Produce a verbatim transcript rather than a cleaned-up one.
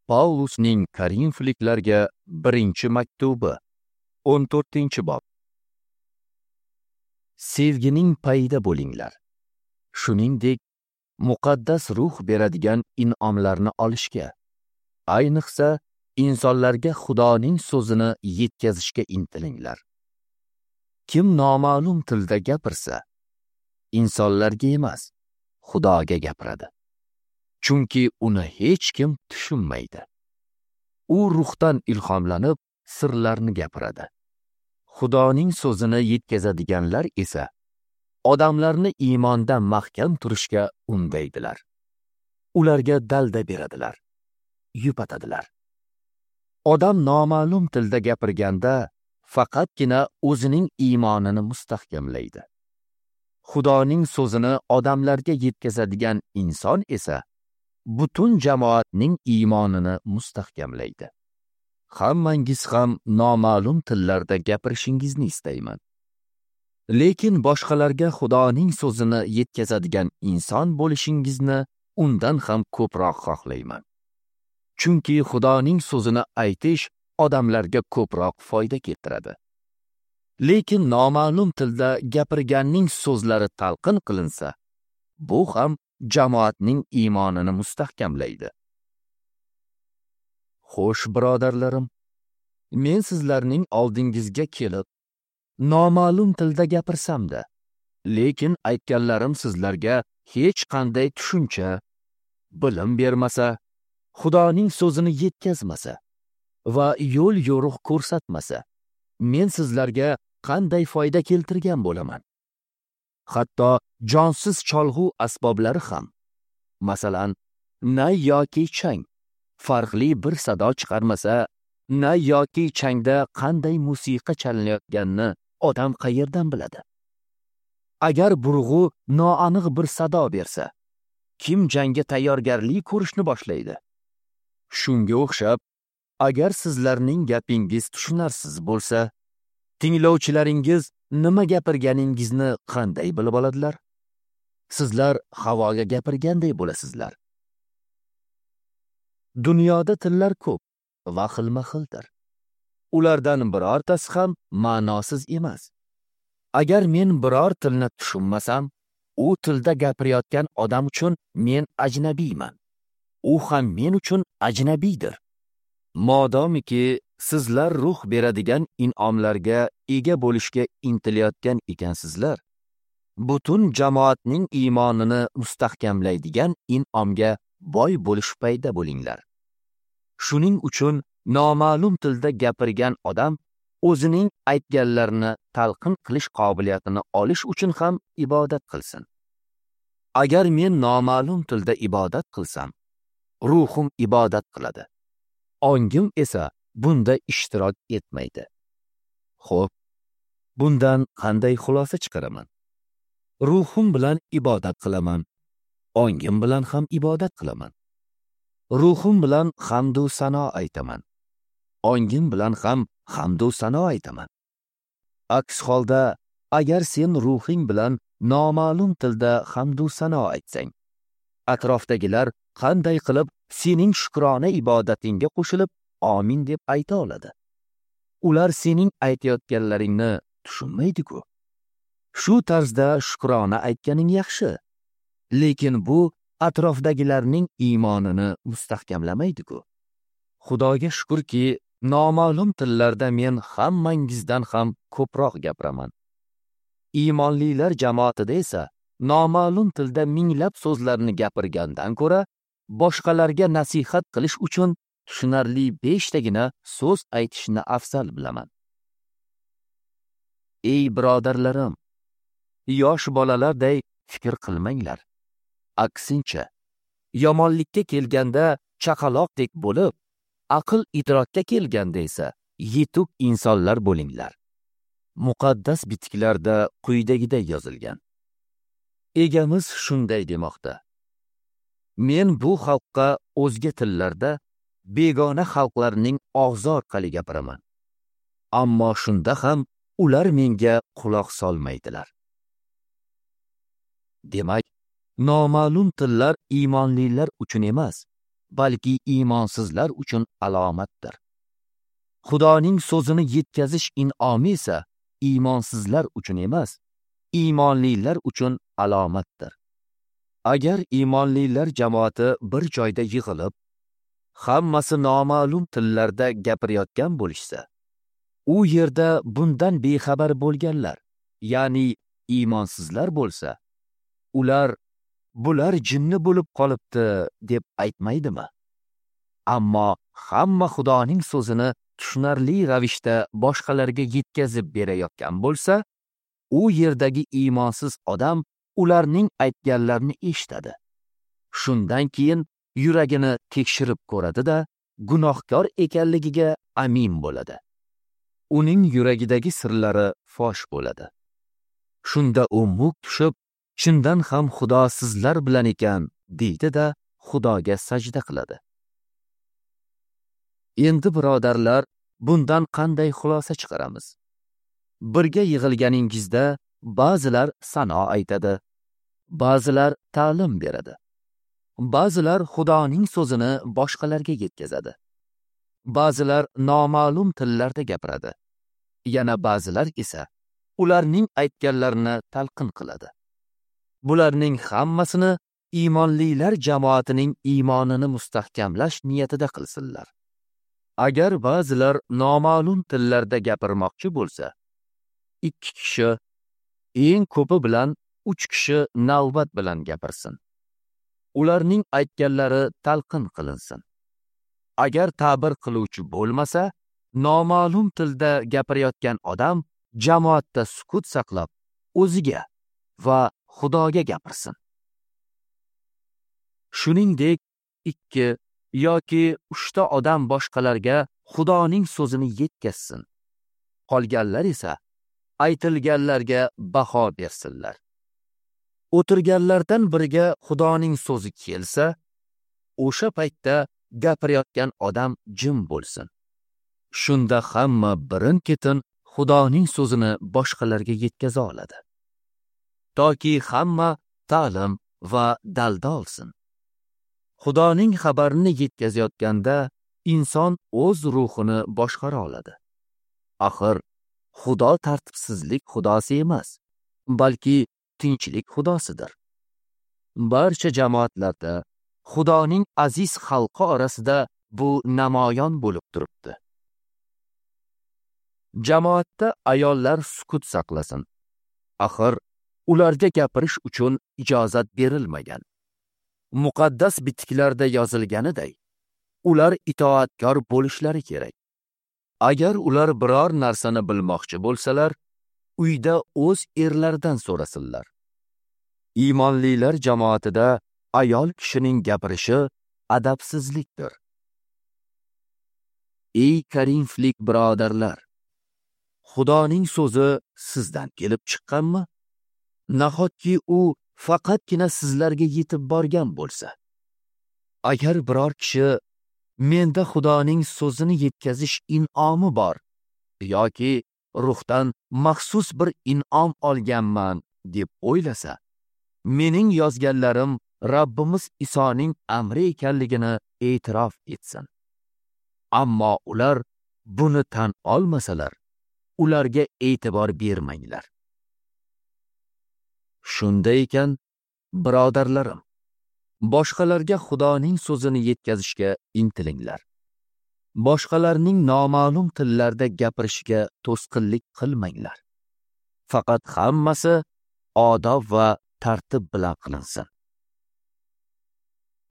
Paulusning Korinfliklarga birinchi maktubi, o'n to'rtinchi bob. Sevgining payida bo'linglar. Shuningdek, muqaddas ruh beradigan in'omlarni olishga, ayniqsa insonlarga Xudoning so'zini yetkazishga intilinglar. Kim noma'lum tilda gapirsa, insonlarga emas, Xudoga gapiradi. Chunki uni hech kim tushunmaydi. U ruhdan ilhomlanib, sirlarni gapiradi. Xudoning so'zini yetkazadiganlar esa odamlarni iymonda mahkam turishga undaydilar. Ularga dalda beradilar, yupatadilar. Odam noma'lum tilda gapirganda faqatgina o'zining iymonini mustahkamlaydi. Xudoning so'zini odamlarga yetkazadigan inson esa butun jamoatning iymonini mustahkamlaydi. Hammangiz ham noma'lum tillarda gapirishingizni istayman. Lekin boshqalarga Xudoning so'zini yetkazadigan inson bo'lishingizni undan ham ko'proq xohlayman. Chunki Xudoning so'zini aytish odamlarga ko'proq foyda keltiradi. Lekin noma'lum tilda gapirganning so'zlari talqin qilinsa, bu ham jamoatning iymonini mustahkamlaydi. Xo'sh, birodarlarim, men sizlarning oldingizga kelib noma'lum tilda gapirsam-da, lekin aytganlarim sizlarga hech qanday tushuncha, bilim bermasa, Xudoning so'zini yetkazmasa va yo'l yo'riq ko'rsatmasa, men sizlarga qanday foyda keltirgan bo'laman? Hatto jonsiz cholg'u asboblari ham, masalan, nay yoki chang, farqli bir sado chiqarmasa, nay yoki changda qanday musiqa chalinayotganini odam qayerdan biladi? Agar burg'u noaniq bir sado bersa, kim jangga tayyorgarlik ko'rishni boshlaydi? Shunga o'xshab, agar sizlarning gapingiz tushunarsiz bo'lsa, tinglovchilaringiz nima gapirganingizni qanday bilib oladilar? Sizlar havoga gapirganday bo'lasizlar. Dunyoda tillar ko'p va xilma-xildir. Ulardan birortasi ham ma'nosiz emas. Agar men biror tilni tushunmasam, u tilda gapirayotgan odam uchun men ajnabiyman. U ham men uchun ajnabiydir. Modomiki sizlar ruh beradigan in'omlarga ega bo'lishga intilayotgan ekansizlar, butun jamoatning iymonini mustahkamlaydigan in'omga boy bo'lish payda bo'linglar. Shuning uchun noma'lum tilda gapirgan odam o'zining aytganlarini talqin qilish qobiliyatini olish uchun ham ibodat qilsin. Agar men noma'lum tilda ibodat qilsam, ruhim ibodat qiladi. Ongim esa bunda ishtirok etmaydi. Xo'p, bundan qanday xulosa chiqaraman? Ruhim bilan ibodat qilaman, ongim bilan ham ibodat qilaman. Ruhim bilan hamd u sano aytaman, ongim bilan ham hamd u sano aytaman. Aks holda, agar sen ruhing bilan noma'lum tilda hamd u sano aytsang, atrofdagilar qanday qilib sening shukrona ibodatingga qo'shilib amin deb ayta oladi? Ular sening aytayotganlaringni tushunmaydi-ku. Shu tarzda shukrona aytganing yaxshi, lekin bu atrofdagilarning iymonini mustahkamlamaydi-ku. Xudoga shukrki, noma'lum tillarda men hammangizdan ham ko'proq gapiraman. Iymonlilar jamoatida esa noma'lum tilda minglab so'zlarni gapirgandan ko'ra, boshqalarga nasihat qilish uchun tushunarli beshtagina so'z aytishni afzal bilaman. Ey birodarlarim, yosh bolalarday fikr qilmanglar. Aksincha, yomonlikka kelganda chaqaloqdek bo'lib, aql idrokka kelganda esa yetuk insonlar bo'linglar. Muqaddas bitiklarda quyidagiday yozilgan. Egamiz shunday demoqda: Men bu xalqqa o'zga tillarda, begona xalqlarning og'zi orqali gapiraman. Ammo shunda ham ular menga quloq solmaydilar. Demak, noma'lum tillar iymonlilar uchun emas, balki iymonsizlar uchun alomatdir. Xudoning so'zini yetkazish in'omi esa iymonsizlar uchun emas, iymonlilar uchun alomatdir. Agar iymonlilar jamoati bir joyda yig'ilib, hammasi noma'lum tillarda gapirayotgan bo'lishsa, u yerda bundan bexabar bo'lganlar, ya'ni iymonsizlar bo'lsa, ular bular jinni bo'lib qolibdi deb aytmaydimi? Ammo hamma Xudoning so'zini tushunarli ravishda boshqalarga yetkazib berayotgan bo'lsa, u yerdagi iymonsiz odam ularning aytganlarini eshitadi. Shundan keyin yuragini tekshirib ko'radi-da, gunohkor ekanligiga amin bo'ladi. Uning yuragidagi sirlari fosh bo'ladi. Shunda u muk tushib, chindan ham Xudo sizlar bilan ekan deydi-da, Xudoga sajda qiladi. Endi birodarlar, bundan qanday xulosa chiqaramiz? Birga yig'ilganingizda ba'zilar sano aytadi, ba'zilar ta'lim beradi, ba'zilar Xudoning so'zini boshqalarga yetkazadi, ba'zilar noma'lum tillarda gapiradi, yana ba'zilar esa ularning aytganlarini talqin qiladi. Bularning hammasini iymonlilar jamoatining iymonini mustahkamlash niyatida qilsinlar. Agar ba'zilar noma'lum tillarda gapirmoqchi bo'lsa, ikki kishi, eng ko'pi bilan uch kishi navbat bilan gapirsin. Ularning aytganlari talqin qilinsin. Agar ta'bir qiluvchi bo'lmasa, noma'lum tilda gapirayotgan odam jamoatda sukut saqlab, o'ziga va Xudoga gapirsin. Shuningdek, ikki yoki uchta odam boshqalarga Xudoning so'zini yetkazsin. Qolganlar esa aytilganlarga baho bersinlar. O'tirganlardan biriga Xudoning so'zi kelsa, o'sha paytda gapirayotgan odam jim bo'lsin. Shunda hamma birin-ketin Xudoning so'zini boshqalarga yetkaza oladi. Toki hamma ta'lim va dalda olsin. Xudoning xabarini yetkazayotganda inson o'z ruhini boshqara oladi. Axir Xudo tartibsizlik xudosi emas, balki tinchlik xudosidir. Barcha jamoatlarda Xudoning aziz xalqi orasida bu namoyon bo'lib turibdi. Jamoatda ayollar sukut saqlasin. Axir ularga gapirish uchun ijozat berilmagan. Muqaddas bitiklarda yozilganiday, ular itoatkor bo'lishlari kerak. Agar ular biror narsani bilmoqchi bo'lsalar, uyda o'z erlaridan so'rasinlar. Iymonlilar jamoatida ayol kishining gapirishi adabsizlikdir. Ey Korinflik birodarlar, Xudoning so'zi sizdan kelib chiqqanmi? Nahotki u faqatgina sizlarga yetib borgan bo'lsa? Agar biror kishi menda Xudoning so'zini yetkazish in'omi bor yoki ruhdan maxsus bir in'om olganman deb o'ylasa, mening yozganlarim Rabbimiz Isoning amri ekanligini e'tirof etsin. Ammo ular buni tan olmasalar, ularga e'tibor bermanglar. Shunday ekan, birodarlarim, boshqalarga Xudoning so'zini yetkazishga intilinglar. Boshqalarning noma'lum tillarda gapirishiga to'sqinlik qilmanglar. Faqat hammasi odob va tartib bilan qilinsin.